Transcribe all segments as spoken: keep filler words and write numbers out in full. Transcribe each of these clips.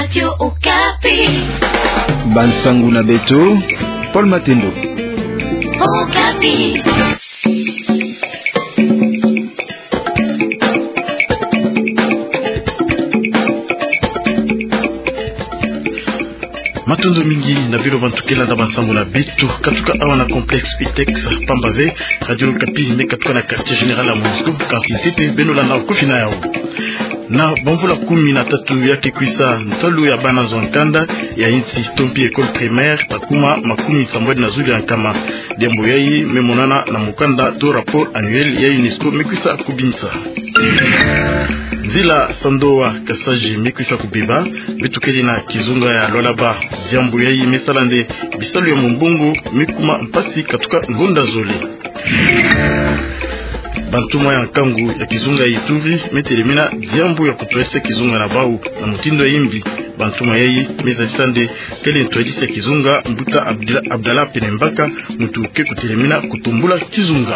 Radio Okapi. Bansangu na beto, Paul Matendo. Okapi. Matondo mingi na bino bantu ke landa bansangu na beto, katuka awa na complexe Utex, pamba ve Radio Okapi me katuka na quartier général ya Monusco, kansi nsete beno landa kofina yau. Na bamvula kumi na tatu ya ke kwisa, ntalu ya bana zo nkanda ya insi to mpi école primaire ta kuma makumi sambwadi na zulu ya nkama. Diambu yayi me monana na mukanda to rapport annuel ya UNESCO me kwisa kubimisa. Nzila Sandoa Kasaji me kwisa kubeba, beto kele na kizunga ya Lualaba. Diambu yayi me sala nde bisalu ya mumbongo me kuma mpasi katuka ngonda zole. Bantuma ya nkangu ya kizunga ya Ituri me telemina diambu ya kutwadisa kizunga na bau na mutindu ya imbi. Bantuma yayi me zabisa nde kele ntwadisi ya kizunga mbuta Abdila-, Abdallah Penembaka, muntu ke kutelemina kutumbula kizunga.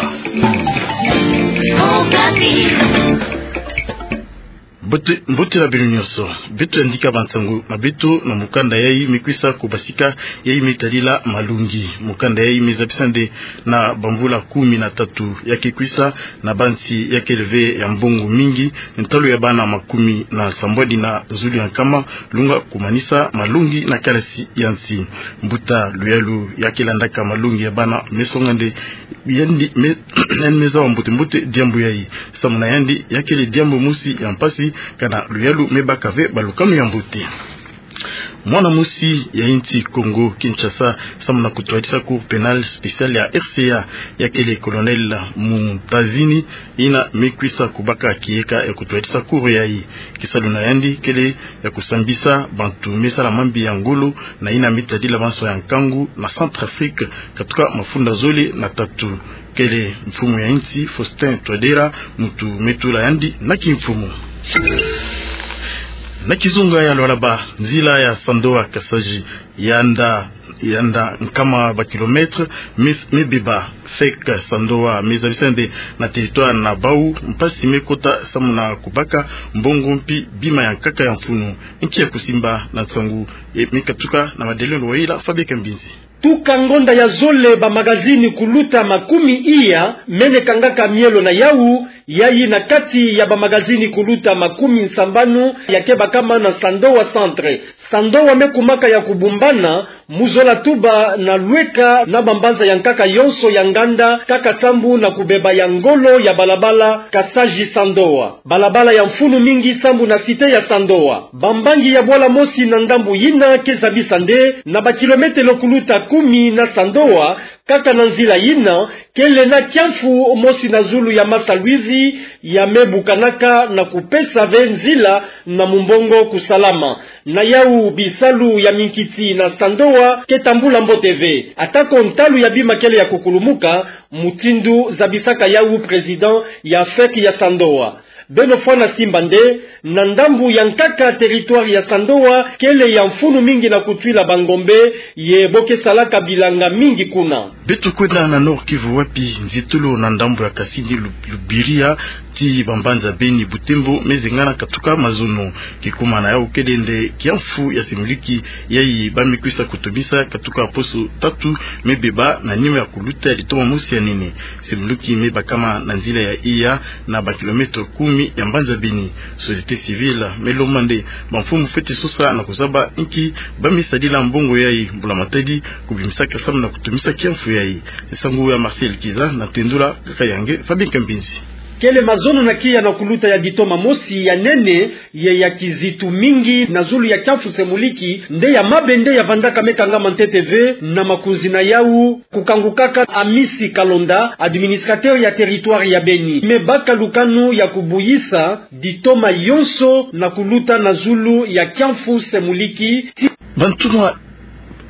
Mbote, mbote na bino nyonso. Beto yandika bansangu na beto na mukanda yayi me kwisa kubasika, yayi me tadila malongi. Mukanda yayi me zabisa nde na bamvula kumi na tatu ya ke kwisa, na bansi ya kele ve ya mbongo mingi, ntalu ya bana makumi na sambwadi na zulu ya nkama lunga kumanisa malongi na kalasi ya nsi. Mbuta Luyalu ya ke landaka malongi ya bana me songa nde yandi me, yandi me zaba mbote-mbote diambu yayi. Samu na yandi, ya kele diambu mosi ya mpasi, kana Luyalu me baka ve balukanu ya mbote. Mwana mosi ya insi Congo Kinshasa, samu na kutwadisa Cour pénale spéciale ya R C A, ya kele Colonel Muntazini, yina me kwisa kubaka kiyeka ya kutwadisa cour yayi. Kisalu na yandi kele ya kusambisa bantu me sala mambi ya ngolo, na yina me tadila banso ya nkangu na Centrafrique, katuka mafunda zole na tatu. Kele mfumu ya insi Faustin Touadéra muntu me tula yandi na kimfumu. Na kizunga ya Lualaba, nzila ya Sandoa Kasaji, yanda, yanda nkama ba kilomètre, me, me beba. Fek Sandoa me zabisa nde na territoire na bau mpasi me kota samu na kubaka mbongo mpi bima ya nkaka ya mfunu. Nki ya kusimba na nsangu, e, me katuka na madeleno wa yila Fabien Kambinzi. Tuka ngonda ya zole, ba magazini kuluta makumi iya mene kangaka mielo na yau, yayi na kati ya ba magazini kuluta makumi nsambanu ya ke bakama na Sandoa Centre. Sandoa me kumaka ya kubumbana mu zola tuba na lweka na bambanza ya nkaka yonso ya nganda, kaka sambu na kubeba ya ngolo ya balabala Kasaji Sandoa. Balabala ya mfunu mingi sambu na cité ya Sandoa. Bambangi ya bwala mosi na ndambu yina ke zabisa nde na ba kilometelo kuluta kumi na Sandoa, kaka na nzila yina, kele na kiamfu mosi na zulu ya Masa Luizi, ya me bukanaka na kupesa ve nzila na mumbongo kusalama. Na yau bisalu ya minkiti na Sandoa ke tambula mbote ve. Atako ntalu ya bima kele ya kukulumuka, mutindu zabisaka yau président ya Fek ya Sandoa. Beno fwana simba nde, na ndambu ya nkaka territoire ya Sandoa kele ya mfunu mingi na kutwila bangombe, ye bo ke salaka bilanga mingi kuna. Beto kwenda na Nord-Kivu, wapi nzitulu na ndambu ya Kasindi, Lu-, Lubiria, ti bambanza Beni, Butembo, me zengana katuka mazono. Kikuma na yau kele nde kiamfu ya semuliki, yayi ba me kwisa kutumisa katuka poso tatu me beba na nima ya kuluta ya litoma mosi ya nene. Semuliki me bakama na nzila ya iya na ba kilometelo kumi ya mbanza Beni. Société civile me lomba nde bamfumu fwete sosa na kuzaba nki ba me sadila mbongo yayi, mbula matadi kubimisaka samu na kutumisa kiamfu yayi. Nsangu ya Marcel Kiza na tendula kaka ya nge Fabien Kambinzi. Kele mazono na kia na kuluta ya litoma mosi ya nene, ye ya kizitu mingi na zulu ya kiamfu semuliki, nde ya mabe nde ya vandaka me kangama ntete ve na makunzi na yau, kukangukaka Amisi Kalonda, administrateur ya territoire ya Beni, me baka lukanu ya kubuyisa litoma yonso na kuluta na zulu ya kiamfu semuliki. Ti bantuma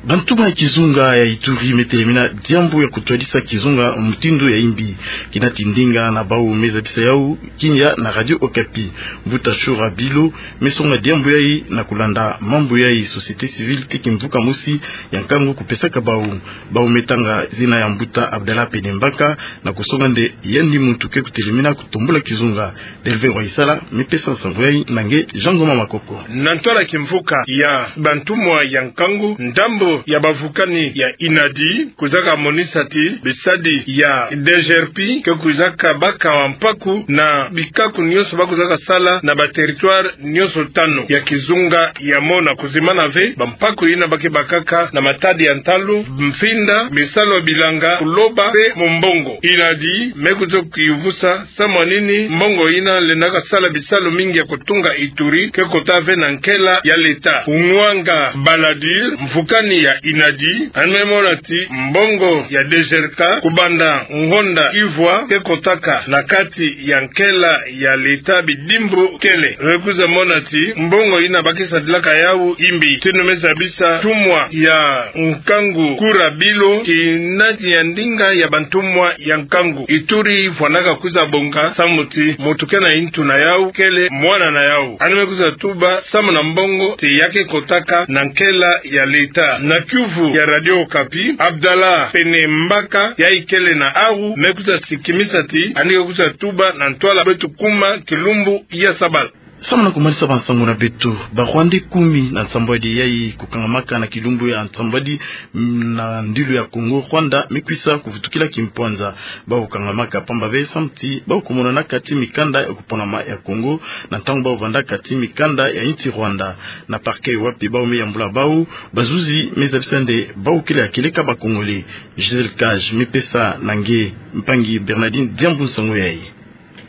Bantumwa ya kizunga ya Ituri me telemina diambu ya kutwadisa kizunga mutindu ya imbi. Kina ti ndinga na bau me zabisa yau kinya na Radio Okapi. Mbuta Shura Bilo me songa diambu yayi na kulanda mambu yayi société civile te kimvuka mosi ya nkangu kupesaka bau. Bau me tanga zina ya mbuta Abdallah Pene Mbaka na kusonga nde yandi muntu ke kutelemina kutombula kizunga. Delve Waisala me pesa nsangu yayi na nge Jean Ngoma Makoko. Na ntwala kimvuka ya bantumwa ya nkangu, ndambo ya bavukani ya INADI kwizaka monisa ti bisadi ya DGRP ke kwizaka baka mpaku na bikaku nyonso ba kwizaka sala na ba territoire nyonso tanu ya kizunga ya mona kuzimana ve bampaku yina ba ke bakaka na matadi ya ntalu, mfinda, bisalu ya bilanga, kuloba pe mumbongo. INADI me kwiza kuyuvusa samu ya nini mbongo yina lendaka sala bisalu mingi ya kutunga Ituri ke kota ve na nkela ya leta. Unwanga Baladir, mvukani ya INADI, yandi me mona ti mbongo ya DGRK kubanda ngonda ivwa ke kotaka na kati ya nkela ya leta bidimbu kele. Me kwiza mona ti mbongo yina ba ke sadilaka yau imbi. Tino me zabisa ntumwa ya nkangu Kura Bilo, kina ti ya ndinga ya bantumwa ya nkangu. Ituri vwandaka kwiza bonga samu ti muntu kena ntu na yau kele mwana na yau. Yandi me kwiza tuba samu na mbongo ti ya ke kotaka na nkela ya leta. Na kiuvu ya Radio Okapi, Abdallah Pene Mbaka, yayi kele na awu, me kwiza sikimisa ti yandi ke kwiza tuba na ntwala beto kuma kilumbu ya sabala. Samu na kumanisa bansangu na beto, ba Rwandais kumi na nsambwadi yayi kukangamaka na kilumbu ya nsambwadi, mm, na ndilu ya Congo, Rwanda me kwisa kuvutukila kimpwanza. Bau kangamaka pamba ve samu ti bau kumonanaka ti mikanda ya kuponama ya Congo na ntangu bau vandaka ti mikanda ya insi Rwanda. Na parquet wapi bau me yambula bau, bazuzi me zabisa nde bau kele ya kieleka ba Congolais. Gisèle Cage me pesa na nge mpangi Bernardine Diambu nsangu yayi.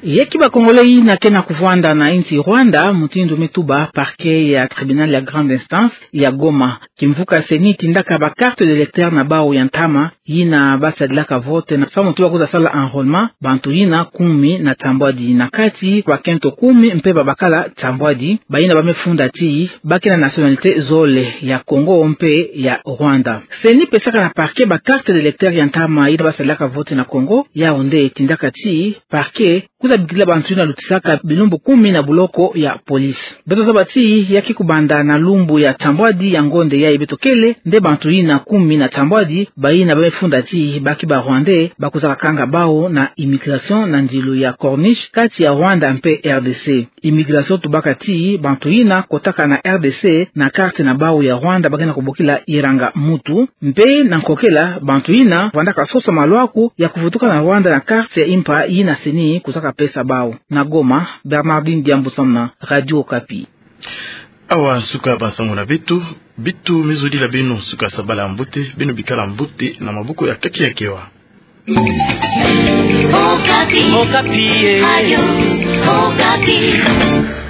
Yaki ba Congolais yina kena kuvwanda na insi Rwanda, mutindu me tuba parquet ya tribunal ya grande instance ya Goma. Kimvuka CENI tindaka ba carte d'électeur na bau ya ntama yina ba sadilaka vote na samu ti ba kwiza sala enrôlement, bantu yina kumi na nsambwadi, na kati bakento kumi mpe babakala nsambwadi, bayina ba me funda ti ba kena nationalité zole, ya Congo mpe ya Rwanda. CENI pesaka na parquet ba carte d'électeur ya ntama yina ba sadilaka vote na Congo, yau nde tindaka ti parquet kwiza bikila bantu yina lutisaka bilumbu kumi na buloko ya police. Beto zaba ti yaki kubanda na lumbu ya nsambwadi ya ngonde yayi beto kele, nde bantu yina kumi na nsambwadi, bayina ba me funda ti ba ki ba Rwandais, ba kwizaka kanga bau na immigration na ndilu ya Corniche, kati ya Rwanda mpe RDC. Immigration tubaka ti bantu yina kotaka na RDC na carte na bau ya Rwanda, ba kena kubokila iranga-muntu. Mpe na nkokela, bantu yina vandaka sosa malwaku ya kuvutuka na Rwanda na carte ya impa yina CENI kwizaka pesa bau. Na Goma, Bernardine Diambu samu na Radio Okapi. Awa nsuka bansangu na beto, beto me zodila beno nsuka sabala ya mbote, beno bikala mbote na maboko ya Kaki ya Kewa. Okapi. Okapi, eh. Radio Okapi.